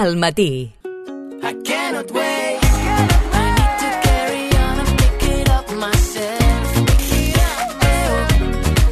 al matí. I cannot wait. I need to carry on and pick it up myself.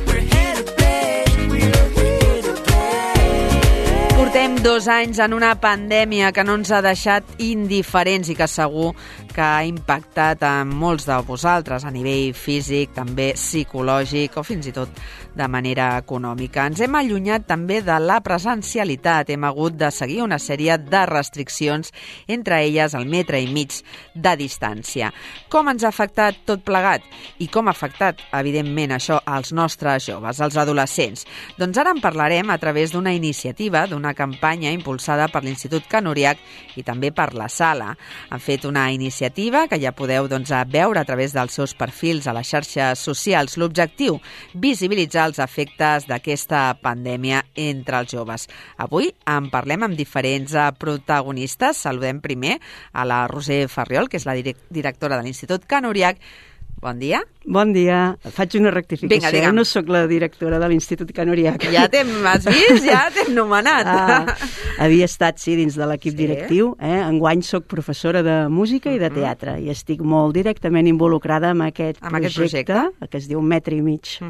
We're here to play. We're here to play. Portem 2 anys en una pandèmia que no ens ha deixat indiferents i que segur que ha impactat a molts de vosaltres a nivell físic, també psicològic o fins i tot de manera econòmica. Ens hem allunyat també de la presencialitat. Hem hagut de seguir una sèrie de restriccions, entre elles el 1,5 metres de distància. Com ens ha afectat tot plegat? I com ha afectat, evidentment, això als nostres joves, als adolescents? Doncs ara en parlarem a través d'una iniciativa, d'una campanya impulsada per l'Institut Can Uriach i també per la Sala. Han fet una iniciativa que ja podeu veure a través dels seus perfils a les xarxes socials. L'objectiu, visibilitzar els efectes d'aquesta pandèmia entre els joves. Avui en parlem amb diferents protagonistes. Saludem primer a la Roser Farriol, que és la directora de l'Institut Can Uriach. Bon dia. Bon dia. Faig una rectificació. Vinga, no sóc la directora de l'Institut Can Uriach. Ja has vist? Ja t'hem nomenat. Havia estat, sí, dins de l'equip directiu. Enguany sóc professora de música i de teatre i estic molt directament involucrada amb aquest projecte que es diu 1,5 metres.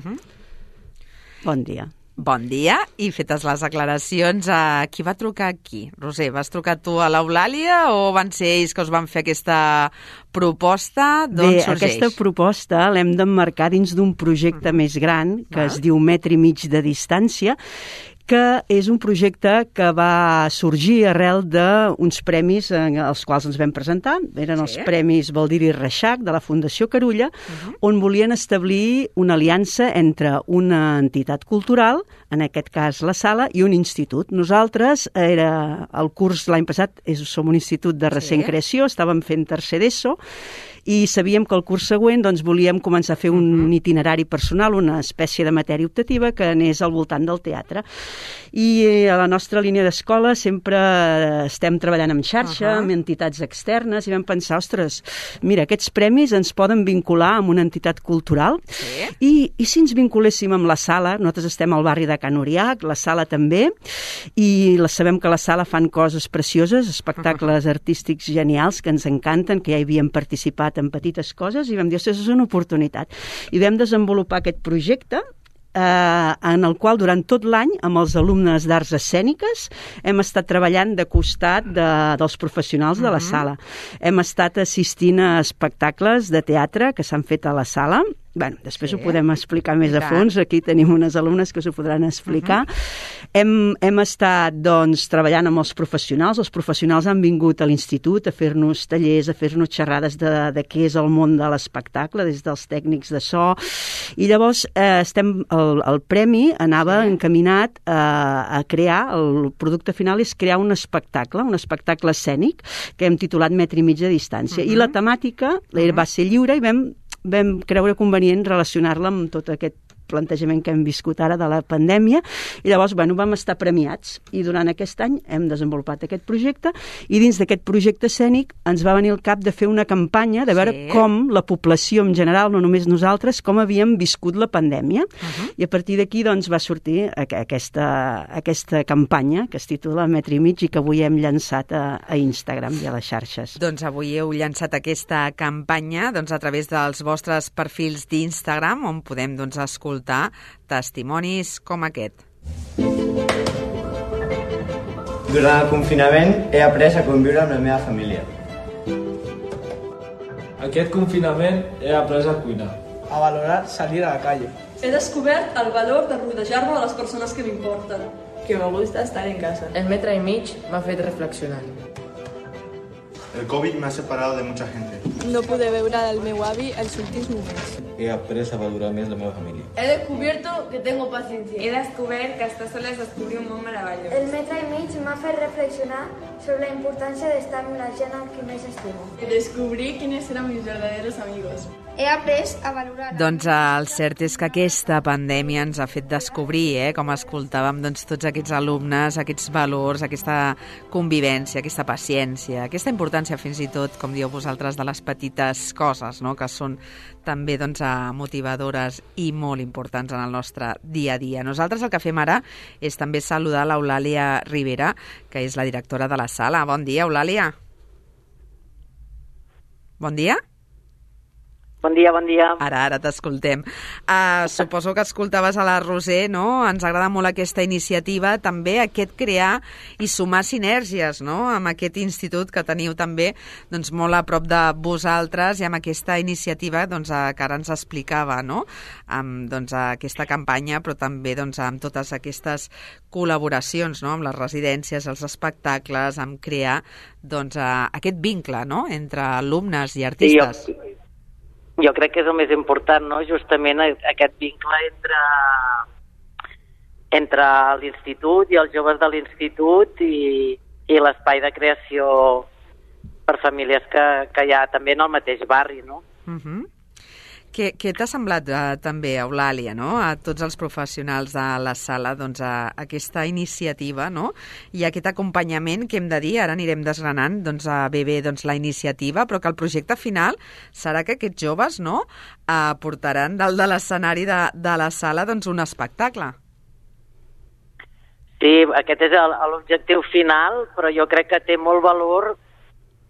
Bon dia. Bon dia, i fetes les aclaracions, qui va trucar aquí? Roser, vas trucar tu a l'Eulàlia o van ser ells que us van fer aquesta proposta? D'on sorgeix? Aquesta proposta l'hem d'emmarcar dins d'un projecte més gran que es diu 1,5 metres de distància, que és un projecte que va sorgir arrel d'uns premis als quals ens vam presentar. Eren els Premis Baldiri Reixac de la Fundació Carulla, on volien establir una aliança entre una entitat cultural, en aquest cas la Sala, i un institut. Nosaltres, el curs l'any passat, som un institut de recent creació, estàvem fent tercer d'ESO, i sabíem que el curs següent volíem començar a fer un itinerari personal, una espècie de matèria optativa que anés al voltant del teatre. I a la nostra línia d'escola sempre estem treballant en xarxa, amb entitats externes, i vam pensar, ostres, mira, aquests premis ens poden vincular amb una entitat cultural, i si ens vinculéssim amb la Sala? Nosaltres estem al barri de Can Uriach, la Sala també, i sabem que la Sala fan coses precioses, espectacles artístics genials que ens encanten, que ja hi havíem participat en petites coses, i vam dir, ostres, és una oportunitat. I vam desenvolupar aquest projecte en el qual durant tot l'any amb els alumnes d'arts escèniques hem estat treballant de costat dels professionals de la Sala. Hem estat assistint a espectacles de teatre que s'han fet a la Sala. Després ho podem explicar més a fons. Aquí tenim unes alumnes que us ho podran explicar. Hem estat, treballant amb els professionals. Els professionals han vingut a l'institut a fer-nos tallers, a fer-nos xerrades de què és el món de l'espectacle, des dels tècnics de so. I llavors el premi anava encaminat a crear, el producte final és crear un espectacle escènic que hem titulat 1,5 metres de distància. I la temàtica va ser lliure i vam creure convenient relacionar-la amb tot aquest plantejament que hem viscut ara de la pandèmia, i llavors vam estar premiats, i durant aquest any hem desenvolupat aquest projecte, i dins d'aquest projecte escènic ens va venir al cap de fer una campanya de veure com la població en general, no només nosaltres, com havíem viscut la pandèmia, i a partir d'aquí va sortir aquesta campanya que es titula 1,5 metres i que avui hem llançat a Instagram i a les xarxes. Doncs avui heu llançat aquesta campanya a través dels vostres perfils d'Instagram, on podem escoltar testimonis com aquest. Durant el confinament he après a conviure amb la meva família. Aquest confinament he après a cuinar. A valorar salir a la calle. He descobert el valor de rodejar-me de les persones que m'importen. Que me gusta estar en casa. El 1,5 metres m'ha fet reflexionar. El COVID me ha separado de mucha gente. No pude veure el meu avi els últims moments. He après a valorar més la meva família. He descubierto que tengo paciencia. He descobert que estar sola és descobrir un món meravellós. El 1,5 metres m'ha fet reflexionar sobre la importància d'estar amb la gent amb qui més estimo. Descobrí quienes eran mis verdaderos amigos. He après a valorar... Doncs el cert és que aquesta pandèmia ens ha fet descobrir, com escoltàvem, tots aquests alumnes, aquests valors, aquesta convivència, aquesta paciència, aquesta importància fins i tot, com dieu vosaltres, de les petites petites coses, no?, que són també doncs, motivadores i molt importants en el nostre dia a dia. Nosaltres el que fem ara és també saludar l'Eulàlia Rivera, que és la directora de la sala. Bon dia, Eulàlia. Bon dia. Bon dia, bon dia. Ara t'escoltem. Suposo que escoltaves a la Roser, no? Ens agrada molt aquesta iniciativa, també aquest crear i sumar sinergies, no?, amb aquest institut que teniu també doncs, molt a prop de vosaltres i amb aquesta iniciativa doncs, que ara ens explicava, no?, amb doncs, aquesta campanya, però també doncs, amb totes aquestes col·laboracions, no?, amb les residències, els espectacles, amb crear doncs, aquest vincle, no?, entre alumnes i artistes. Sí, jo crec que és el més important, no?, justament aquest vincle entre l'institut i els joves de l'institut i l'espai de creació per famílies que hi ha també en el mateix barri, no? Què t'ha semblat també, Eulàlia, no?, a tots els professionals de la sala, doncs, aquesta iniciativa, no?, i aquest acompanyament que hem de dir, ara anirem desgranant doncs, bé doncs, la iniciativa, però que el projecte final serà que aquests joves, no?, portaran dalt de l'escenari de la sala doncs, un espectacle. Sí, aquest és l'objectiu final, però jo crec que té molt valor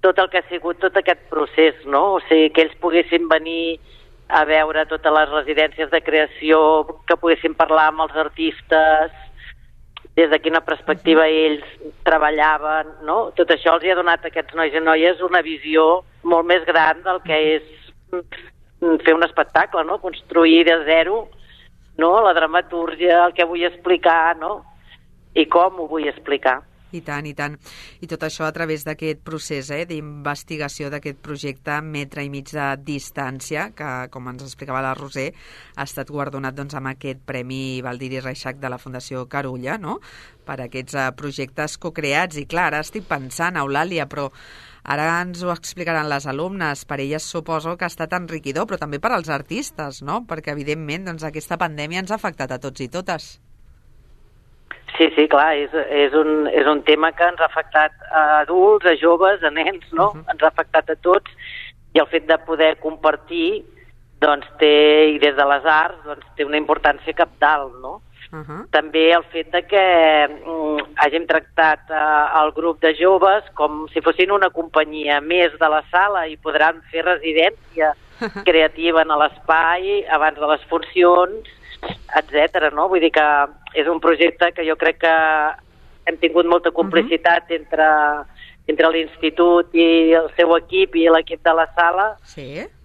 tot el que ha sigut tot aquest procés, no?, o sigui, que ells poguessin venir a veure totes les residències de creació, que poguessin parlar amb els artistes, des de quina perspectiva ells treballaven, no? Tot això els ha donat a aquests nois i noies una visió molt més gran del que és fer un espectacle, no? Construir de zero, no?, la dramatúrgia, el que vull explicar, no?, i com ho vull explicar. I tant, i tant. I tot això a través d'aquest procés d'investigació d'aquest projecte Metre i mig de distància, que, com ens explicava la Roser, ha estat guardonat doncs, amb aquest Premi Baldiri Reixac de la Fundació Carulla, no?, per aquests projectes cocreats. I clar, ara estic pensant, Eulàlia, però ara ens ho explicaran les alumnes. Per elles suposo que ha estat enriquidor, però també per als artistes, no?, perquè evidentment doncs, aquesta pandèmia ens ha afectat a tots i totes. Sí, clar, és un tema que ens ha afectat a adults, a joves, a nens, no? Ens ha afectat a tots, i el fet de poder compartir, doncs i des de les arts, doncs té una importància cabdal, no? També el fet de que hàgim tractat el grup de joves com si fossin una companyia més de la sala i podran fer residència creativa en l'espai abans de les funcions, etcètera, no? Vull dir que és un projecte que jo crec que hem tingut molta complicitat entre l'institut i el seu equip i l'equip de la sala,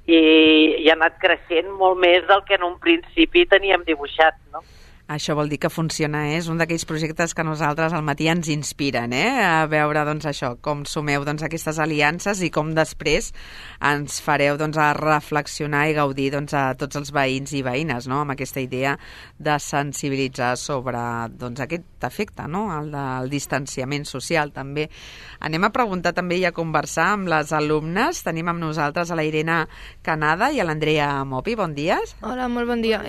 i ha anat creixent molt més del que en un principi teníem dibuixat, no? Això vol dir que funciona, és un d'aquells projectes que nosaltres al matí ens inspiren, a veure doncs, això, com sumeu doncs, aquestes aliances i com després ens fareu doncs, a reflexionar i gaudir doncs, a tots els veïns i veïnes, no?, amb aquesta idea de sensibilitzar sobre doncs, aquest efecte, no?, el del distanciament social també. Anem a preguntar també i a conversar amb les alumnes. Tenim amb nosaltres a la Irene Canada i a l'Andrea Mopi. Bon dia. Hola, molt bon dia.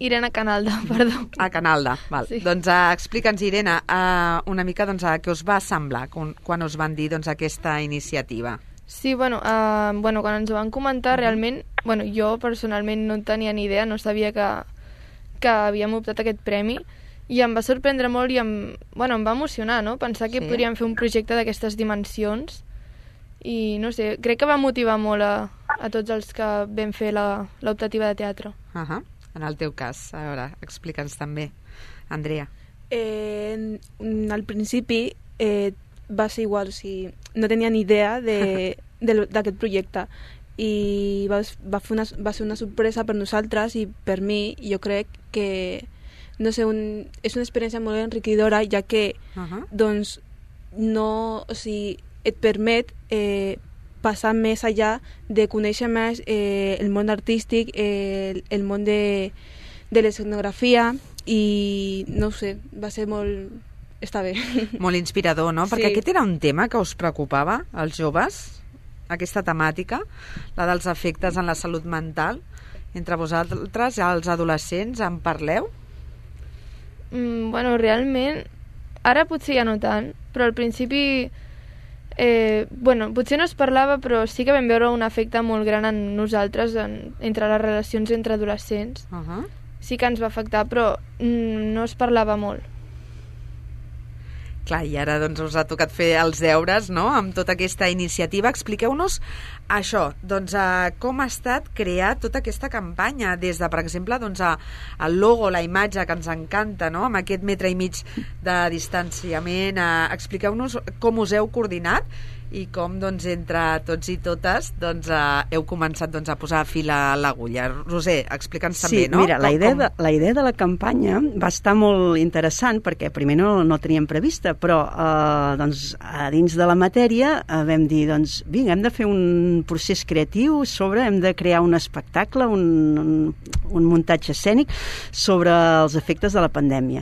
Irene Canalda, perdó. Canalda, val. Sí. Doncs explica'ns, Irene, una mica doncs, què us va semblar quan us van dir doncs, aquesta iniciativa. Sí, bueno, quan ens ho van comentar, realment, jo personalment no tenia ni idea, no sabia que havíem optat aquest premi, i em va sorprendre molt i em va emocionar, no?, pensar que podríem fer un projecte d'aquestes dimensions, i no sé, crec que va motivar molt a tots els que vam fer l'optativa de teatre. En el teu cas, a veure, explica'ns també. Andrea. Al principi va ser igual, o sigui, no tenia ni idea d'aquest projecte, i va ser una sorpresa per nosaltres i per mi. Jo crec que no sé, és una experiència molt enriquidora, ja que doncs, no, o sigui, et permet passar més allà de conèixer més el món artístic, el món de l'escenografia, i no ho sé, va ser molt... està bé. Molt inspirador, no? Perquè aquest era un tema que us preocupava, als joves, aquesta temàtica, la dels efectes en la salut mental. Entre vosaltres, els adolescents, en parleu? Realment, ara potser ja no tant, però al principi Potser no es parlava, però sí que vam veure un efecte molt gran en nosaltres, entre les relacions entre adolescents. Sí que ens va afectar, però no es parlava molt. Clar, i ara doncs us ha tocat fer els deures, no?, amb tota aquesta iniciativa. Expliqueu-nos això, doncs com ha estat crear tota aquesta campanya, des de, per exemple, doncs, el logo, la imatge que ens encanta, no?, amb aquest 1,5 metres de distanciament. Expliqueu-nos com us heu coordinat i com, doncs, entre tots i totes, doncs, heu començat, doncs, a posar fil a l'agulla. Roser, explica'ns també, no? Sí, mira, la idea de la campanya va estar molt interessant, perquè primer no teníem prevista, però doncs, a dins de la matèria vam dir, doncs, vinga, hem de fer un procés creatiu hem de crear un espectacle, un muntatge escènic sobre els efectes de la pandèmia.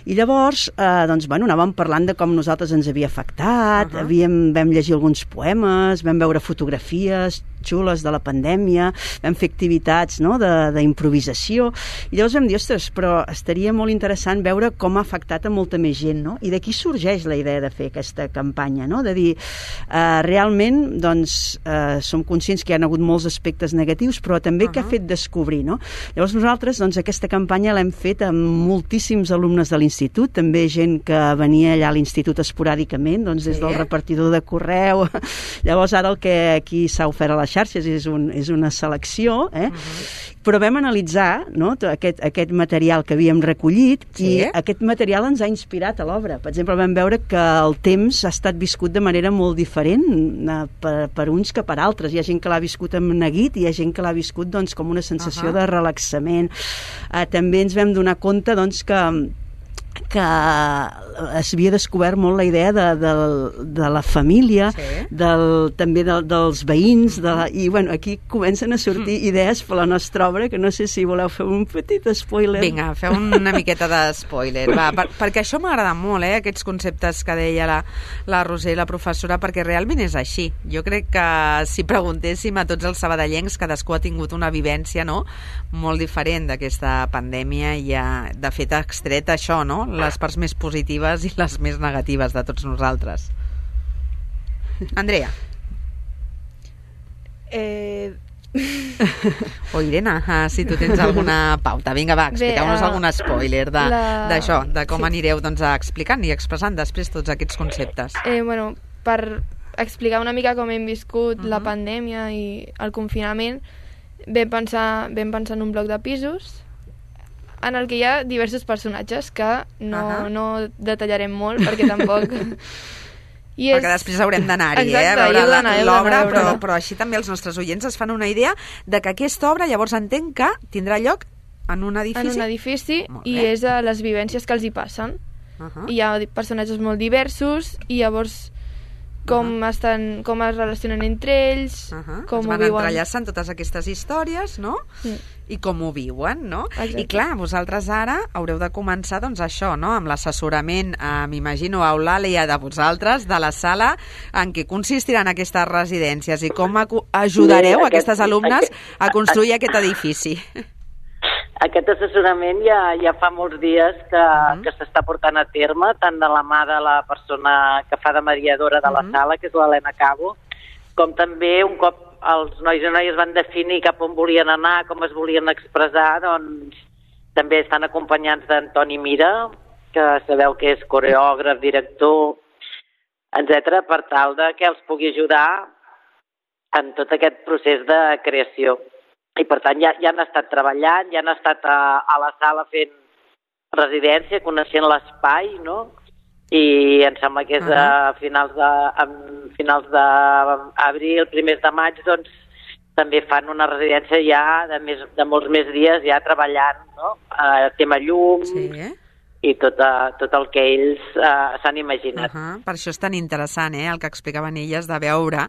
I llavors, doncs, anàvem parlant de com nosaltres ens havia afectat, vam llegir alguns poemes, vam veure fotografies xules de la pandèmia, vam fer activitats, no?, d'improvisació, i llavors vam dir, ostres, però estaria molt interessant veure com ha afectat a molta més gent, no? I d'aquí sorgeix la idea de fer aquesta campanya, no?, de dir, realment, doncs, som conscients que hi ha hagut molts aspectes negatius, però també que ha fet descobrir, no? Llavors nosaltres, doncs, aquesta campanya l'hem fet amb moltíssims alumnes de l'institut, també gent que venia allà a l'institut esporàdicament, doncs, des del repartidor de correu. Llavors, ara el que aquí s'ha ofert a les xarxes és una selecció, però vam analitzar, no?, aquest material que havíem recollit, i aquest material ens ha inspirat a l'obra. Per exemple, vam veure que el temps ha estat viscut de manera molt diferent per uns que per altres. Hi ha gent que l'ha viscut amb neguit i hi ha gent que l'ha viscut, doncs, com una sensació de relaxament. També ens vam donar compte, doncs, que s'havia descobert molt la idea de la família, també dels veïns, i aquí comencen a sortir idees per la nostra obra, que no sé si voleu fer un petit spoiler. Vinga, feu una miqueta de spoiler, perquè això m'agrada molt, aquests conceptes que deia la Roser, la professora, perquè realment és així. Jo crec que si preguntéssim a tots els sabadellencs, cadascú ha tingut una vivència, no?, molt diferent d'aquesta pandèmia, i de fet ha extret això, no?, les parts més positives i les més negatives de tots nosaltres. Andrea. O Irene, si tu tens alguna pauta. Vinga, va, expliqueu-nos algun spoiler d'això, de com anireu, doncs, explicant i expressant després tots aquests conceptes. Per explicar una mica com hem viscut la pandèmia i el confinament, vam pensar en un bloc de pisos en el que hi ha diversos personatges que no detallarem molt, perquè tampoc... Perquè després haurem d'anar-hi, a veure l'obra, però així també els nostres oients es fan una idea de que aquesta obra, llavors entenc que tindrà lloc en un edifici. En un edifici, i és a les vivències que els hi passen. Hi ha personatges molt diversos, i llavors com es relacionen entre ells, com ho viuen. Es van entrellaçant totes aquestes històries, no?, i com ho viuen, no? I clar, vosaltres ara haureu de començar, doncs, això, no?, amb l'assessorament, m'imagino, eulàlia, de vosaltres, de la sala en què consistiran aquestes residències, i com ajudareu aquestes alumnes a construir aquest edifici. Aquest assessorament ja fa molts dies que s'està portant a terme, tant de la mà de la persona que fa de mediadora de la sala, que és l'Helena Cabo, com també un cop els nois i noies van definir cap on volien anar, com es volien expressar, doncs també estan acompanyats d'Antoni Mira, que sabeu que és coreògraf, director, etc., per tal que els pugui ajudar en tot aquest procés de creació. I per tant ja han estat treballant, ja han estat a la sala fent residència, coneixent l'espai, no?, i em sembla que és a finals d'abril, primers de maig, doncs també fan una residència ja de molts més dies ja treballant, no?, tema llum, i tot el que ells s'han imaginat. Per això és tan interessant, el que explicaven elles, de veure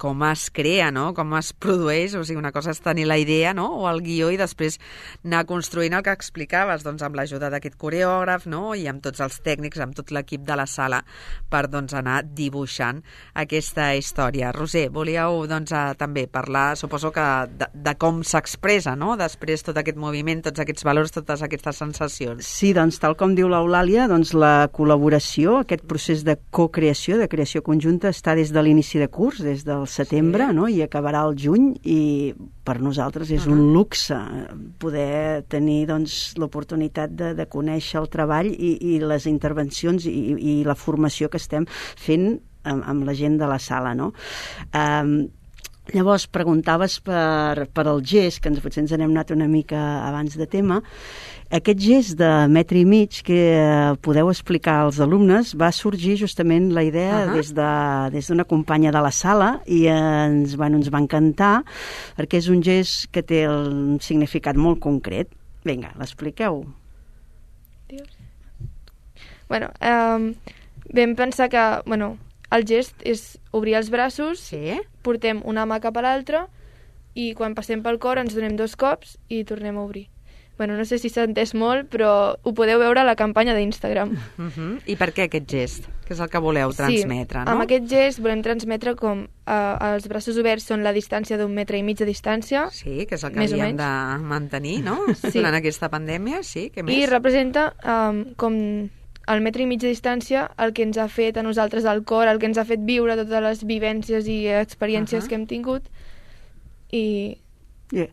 com es crea, no?, com es produeix. O sigui, una cosa és tenir la idea, no?, o el guió, i després anar construint el que explicaves, doncs, amb l'ajuda d'aquest coreògraf, no?, i amb tots els tècnics, amb tot l'equip de la sala, per, doncs, anar dibuixant aquesta història. Roser, volíeu, doncs, també parlar, suposo que de com s'expressa, no?, després tot aquest moviment, tots aquests valors, totes aquestes sensacions. Sí, doncs, tal com diu l'Eulàlia, doncs la col·laboració, aquest procés de co-creació, de creació conjunta, està des de l'inici de curs, des del setembre, no? I acabarà al juny, i per nosaltres és un luxe poder tenir doncs, l'oportunitat de conèixer el treball i les intervencions i la formació que estem fent amb la gent de la sala, no? Llavors, preguntaves per el gest, que potser ens n'hem anat una mica abans de tema. Aquest gest de metre i mig que podeu explicar als alumnes va sorgir justament la idea des d'una companya de la sala i ens va encantar perquè és un gest que té un significat molt concret. Vinga, l'expliqueu. Bueno, vam pensar que, el gest és obrir els braços, portem una mà cap a l'altra i quan passem pel cor ens donem 2 cops i tornem a obrir. Bueno, no sé si s'ha entès molt, però ho podeu veure a la campanya d'Instagram. I per què aquest gest? Que és el que voleu transmetre, no? Amb aquest gest volem transmetre com els braços oberts són la distància d'1,5 metre de distància. Sí, que és el que havíem de mantenir, no? Durant aquesta pandèmia, sí, què més? I representa com el 1,5 metre de distància el que ens ha fet a nosaltres el cor, el que ens ha fet viure totes les vivències i experiències que hem tingut i el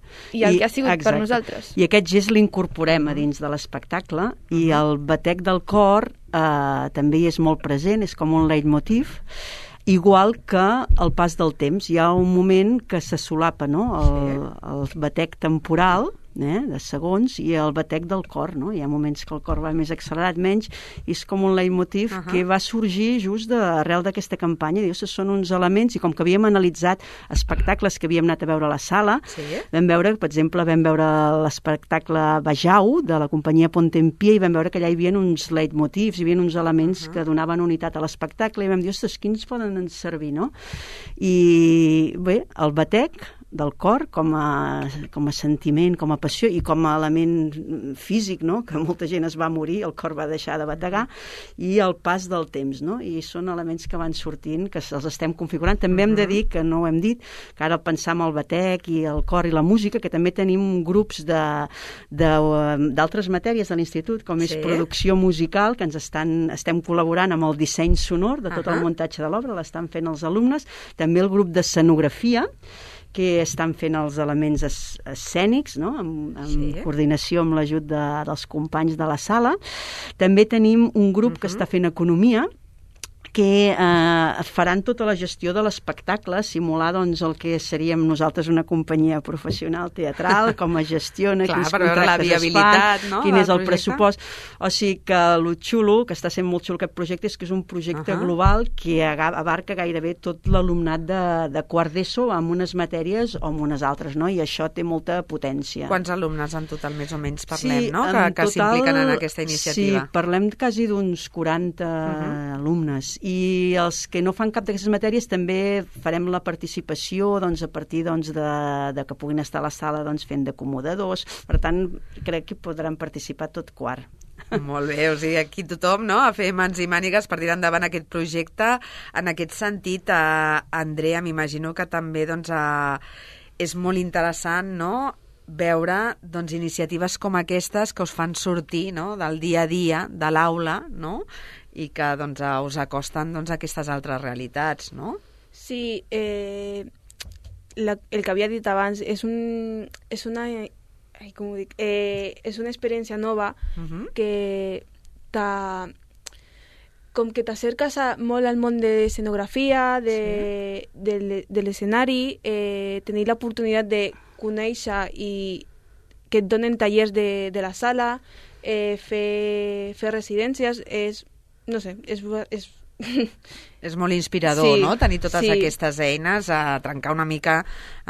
que ha sigut per nosaltres. I aquest gest l'incorporem a dins de l'espectacle i el batec del cor també és molt present, és com un leitmotiv, igual que el pas del temps. Hi ha un moment que se solapa, no? El batec temporal de segons i el batec del cor, no? Hi ha moments que el cor va més accelerat, menys, i és com un leitmotiv que va sorgir just arrel d'aquesta campanya. Dius, són uns elements, i com que havíem analitzat espectacles que havíem anat a veure a la sala, vam veure, per exemple, l'espectacle Bajau de la companyia Pontempia i vam veure que allà hi havia uns leitmotivs, hi havia uns elements que donaven unitat a l'espectacle i vam dir, ostres, quins poden servir, no? I bé, el batec del cor com a sentiment, com a passió i com a element físic, no? Que molta gent es va morir, el cor va deixar de bategar, i el pas del temps, no? I són elements que van sortint, que els estem configurant. També hem de dir, que no ho hem dit, que ara pensar en el batec i el cor i la música, que també tenim grups d'altres matèries de l'institut, com és producció musical, que estem col·laborant amb el disseny sonor de tot el muntatge de l'obra, l'estan fent els alumnes, també el grup d'escenografia, que estan fent els elements escènics, no? amb coordinació amb l'ajut dels companys de la sala. També tenim un grup que està fent economia, que faran tota la gestió de l'espectacle, simular doncs, el que seríem nosaltres una companyia professional teatral, com es gestiona, quins contractes es fan, quin és el pressupost. O sigui que el xulo, que està sent molt xulo aquest projecte, és que és un projecte global que abarca gairebé tot l'alumnat de quart d'ESO amb unes matèries o amb unes altres, no? I això té molta potència. Quants alumnes en total més o menys parlem, no? Que s'impliquen en aquesta iniciativa? Sí, parlem quasi d'uns 40 alumnes. I els que no fan cap d'aquestes matèries també farem la participació a partir de que puguin estar a la sala fent d'acomodadors. Per tant, crec que podran participar tot quart. Molt bé, o sigui, aquí tothom, no?, a fer mans i mànigues per tirar endavant aquest projecte. En aquest sentit, Andrea, m'imagino que també és molt interessant, no?, veure iniciatives com aquestes que us fan sortir, no?, del dia a dia de l'aula, no?, i que us acosten a aquestes altres realitats, no? Sí, el que havia dit abans és una experiència nova que com que t'acerques molt al món de l'escenografia, de l'escenari, tenir l'oportunitat de conèixer i que et donen tallers de la sala, fer residències, no sé, és molt inspirador, no?, tenir totes aquestes eines a trencar una mica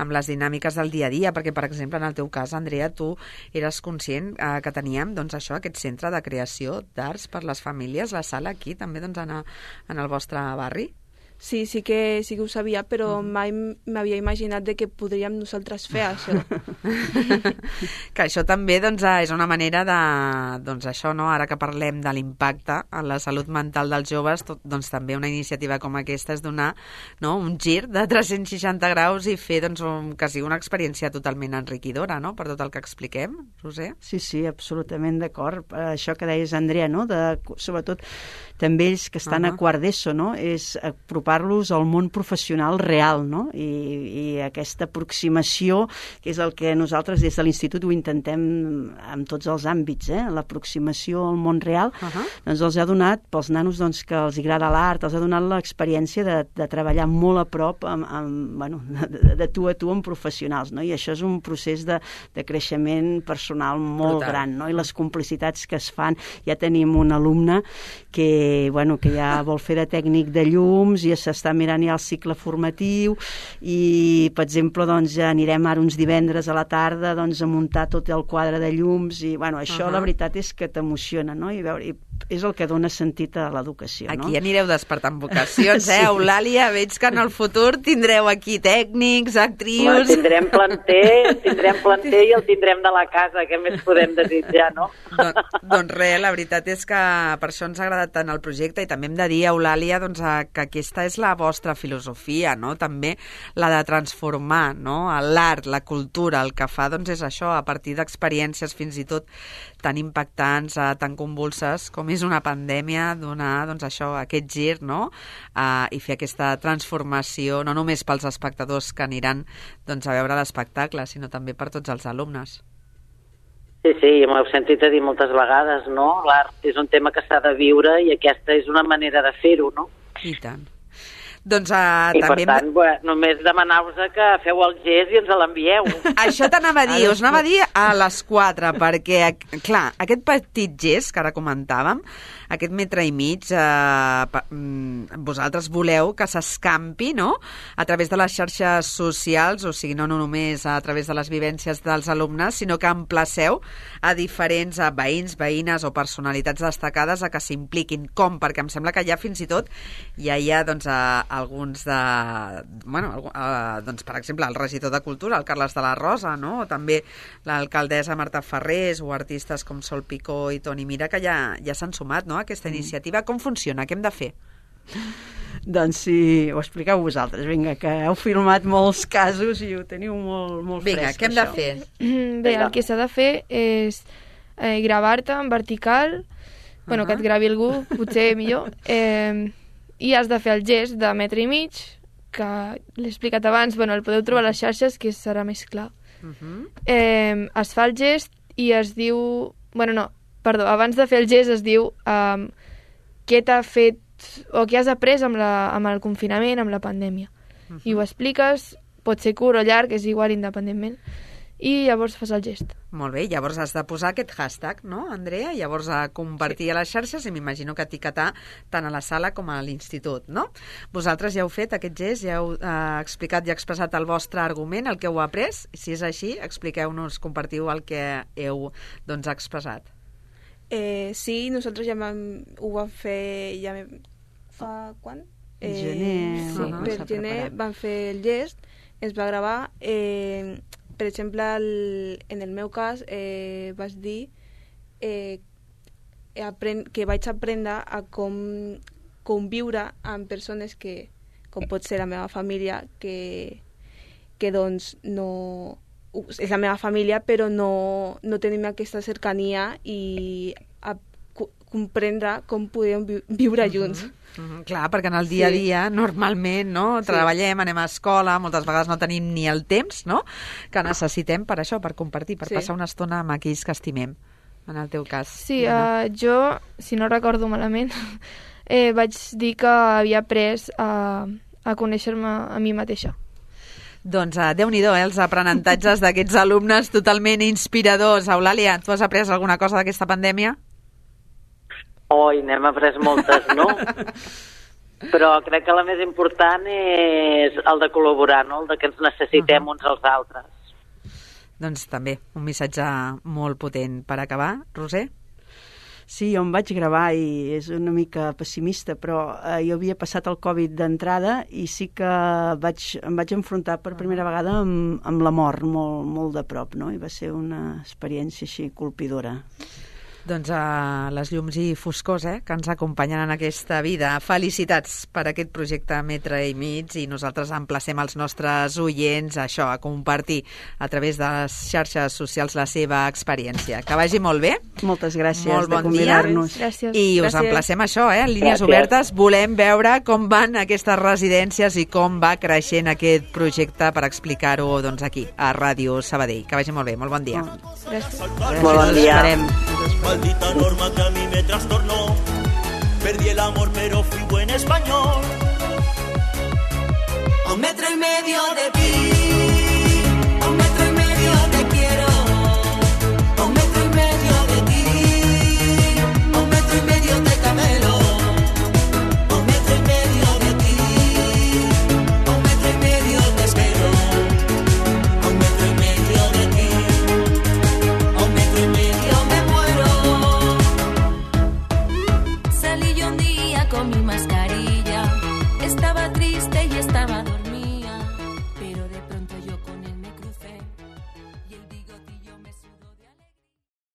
amb les dinàmiques del dia a dia, perquè, per exemple, en el teu cas, Andrea, tu eres conscient que teníem aquest centre de creació d'arts per les famílies, la sala aquí, també en el vostre barri? Sí que ho sabia, però mai m'havia imaginat de que podríem nosaltres fer això. Que això també doncs, és una manera de... Doncs això, no? Ara que parlem de l'impacte en la salut mental dels joves, doncs també una iniciativa com aquesta és donar, no, un gir de 360 graus i fer doncs, que sigui una experiència totalment enriquidora, no?, per tot el que expliquem, Roser. Sí, absolutament d'acord. Això que deies, Andrea, no?, sobretot també ells que estan a quart d'ESO, no?, és apropar-los al món professional real, no?, i aquesta aproximació, que és el que nosaltres des de l'Institut ho intentem en tots els àmbits, l'aproximació al món real, doncs els ha donat, pels nanos doncs, que els agrada l'art, els ha donat l'experiència de treballar molt a prop de tu a tu amb professionals, no?, i això és un procés de creixement personal molt gran, no?, i les complicitats que es fan. Ja tenim un alumne que ja vol fer de tècnic de llums i s'està mirant ja el cicle formatiu i, per exemple, doncs, anirem ara uns divendres a la tarda doncs, a muntar tot el quadre de llums i, això la veritat és que t'emociona, no?, i és el que dona sentit a l'educació, no? Aquí anireu despertant vocacions, Eulàlia? Veig que en el futur tindreu aquí tècnics, actrius... Bueno, tindrem planter i el tindrem de la casa, què més podem desitjar, no? Doncs res, la veritat és que per això ens ha agradat tant el projecte i també hem de dir, Eulàlia, doncs, que aquesta és la vostra filosofia, no?, també la de transformar, no?, l'art, la cultura, el que fa doncs és això, a partir d'experiències fins i tot tan impactants, tan convulses com és una pandèmia, donar doncs, això, aquest gir, no?, i fer aquesta transformació no només pels espectadors que aniran doncs, a veure l'espectacle, sinó també per tots els alumnes. Sí, m'ho heu sentit a dir moltes vegades, no? L'art és un tema que s'ha de viure i aquesta és una manera de fer-ho, no? I tant. Doncs, i també per tant, només demanar-vos que feu el gest i ens l'envieu. Això t'anava a dir, us anava a dir a les 4, perquè, clar, aquest petit gest que ara comentàvem, aquest metre i mig, vosaltres voleu que s'escampi, no?, a través de les xarxes socials, o sigui, no només a través de les vivències dels alumnes, sinó que emplaceu a diferents veïns, veïnes o personalitats destacades a que s'impliquin. Com? Perquè em sembla que ja fins i tot ja hi ha, doncs, alguns de... doncs, per exemple, el regidor de Cultura, el Carles de la Rosa, no?, o també l'alcaldessa Marta Ferrés, o artistes com Sol Picó i Toni Mira, que ja s'han sumat, no?, a aquesta iniciativa. Com funciona? Què hem de fer? Doncs sí, ho expliqueu vosaltres. Vinga, que heu filmat molts casos i ho teniu molt fresc. Vinga, què hem de fer? Bé, el que s'ha de fer és gravar-te en vertical, que et gravi algú, potser millor, i has de fer el gest de metre i mig, que l'he explicat abans, el podeu trobar a les xarxes, que serà més clar. Es fa el gest i es diu... abans de fer el gest es diu què t'ha fet o què has après amb el confinament, amb la pandèmia. I ho expliques, pot ser curt o llarg, és igual independentment, i llavors fas el gest. Molt bé, llavors has de posar aquest hashtag, no, Andrea? Llavors a compartir a les xarxes i m'imagino que etiquetar tant a la sala com a l'institut, no? Vosaltres ja heu fet aquest gest, ja heu explicat i expressat el vostre argument, el que heu après. Si és així, expliqueu-nos, compartiu el que heu expressat. Sí, nosaltres ja ho vam fer fa quan? Gener. Sí, per gener vam fer el gest, es va gravar. Per exemple, en el meu cas, vaig dir que vaig aprendre a com viure amb persones que, com pot ser la meva família, que doncs no... és la meva família, però no tenim aquesta cercania i a comprendre com podem viure junts. Clar, perquè en el dia a dia, normalment, no? Treballem, anem a escola, moltes vegades no tenim ni el temps, no?, que necessitem per això, per compartir, per passar una estona amb aquells que estimem, en el teu cas. Sí, jo, si no recordo malament, vaig dir que havia après a conèixer-me a mi mateixa. Doncs Déu-n'hi-do, els aprenentatges d'aquests alumnes totalment inspiradors. Eulàlia, tu has après alguna cosa d'aquesta pandèmia? N'hem après moltes, no? Però crec que la més important és el de col·laborar, no? El de que ens necessitem uns als altres. Doncs també, un missatge molt potent per acabar. Roser? Sí, jo em vaig gravar i és una mica pessimista, però jo havia passat el Covid d'entrada i sí que em vaig enfrontar per primera vegada amb la mort molt de prop, no? I va ser una experiència així colpidora. Doncs les llums i foscors que ens acompanyen en aquesta vida. Felicitats per aquest projecte Metre i Mig i nosaltres emplacem els nostres oients a compartir a través de les xarxes socials la seva experiència. Que vagi molt bé. Moltes gràcies molt bon de convidar-nos. Gràcies. I us emplacem en línies obertes. Volem veure com van aquestes residències i com va creixent aquest projecte per explicar-ho aquí, a Ràdio Sabadell. Que vagi molt bé. Molt bon dia. Gràcies. Molt bon dia. Maldita norma que a mí me trastornó. Perdí el amor pero fui buen español. A 1,5 metros de ti.